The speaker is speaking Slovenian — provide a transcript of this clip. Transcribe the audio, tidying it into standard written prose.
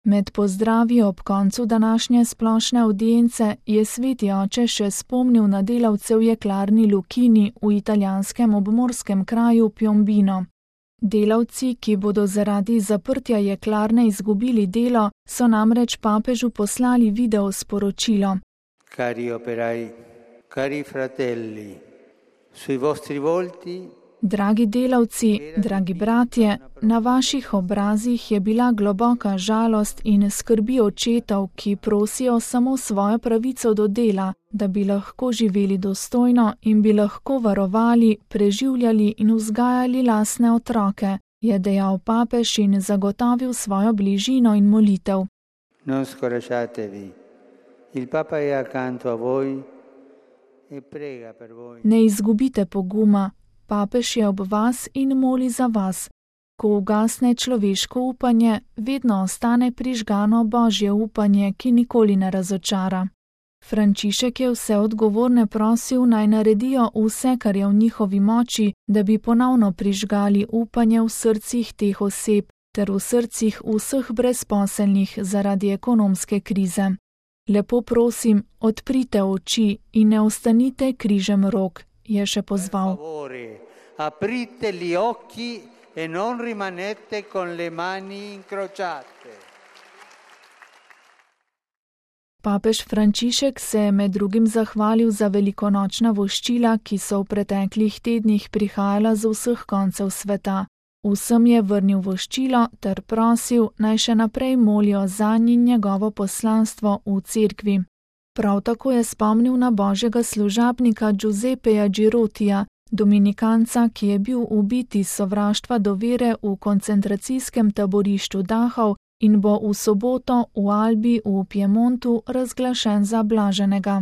Med pozdravi ob koncu današnje splošne avdience je sveti oče še spomnil na delavce v jeklarni Lucchini v italijanskem obmorskem kraju Piombino. Delavci, ki bodo zaradi zaprtja jeklarne izgubili delo, so namreč papežu poslali video sporočilo. Cari operai, cari fratelli, sui vostri volti. Dragi delavci, dragi bratje, na vaših obrazih je bila globoka žalost in skrbi očetov, ki prosijo samo svojo pravico do dela, da bi lahko živeli dostojno in bi lahko varovali, preživljali in vzgajali lastne otroke, je dejal papež in zagotovil svojo bližino in molitev. Non scoraggiatevi, il Papa è accanto a voi e prega per voi. Ne izgubite poguma. Papež je ob vas in moli za vas. Ko ugasne človeško upanje, vedno ostane prižgano Božje upanje, ki nikoli ne razočara. Frančišek je vse odgovorne prosil, naj naredijo vse, kar je v njihovi moči, da bi ponovno prižgali upanje v srcih teh oseb ter v srcih vseh brezposelnih zaradi ekonomske krize. Lepo prosim, odprite oči in ne ostanite križem rok, je še pozval. Aprite gli occhi e non rimanete con le mani incrociate. Papež Frančišek se je med drugim zahvalil za velikonočna voščila, ki so v preteklih tednih prihajala z vseh koncev sveta. Vsem je vrnil voščilo ter prosil, naj še naprej molijo zanj in njegovo poslanstvo v cerkvi. Prav tako je spomnil na božjega služabnika Giuseppeja Girotija, dominikanca, ki je bil ubit iz sovraštva do vere v koncentracijskem taborišču Dachau in bo v soboto v Albi v Piemontu razglašen za blaženega.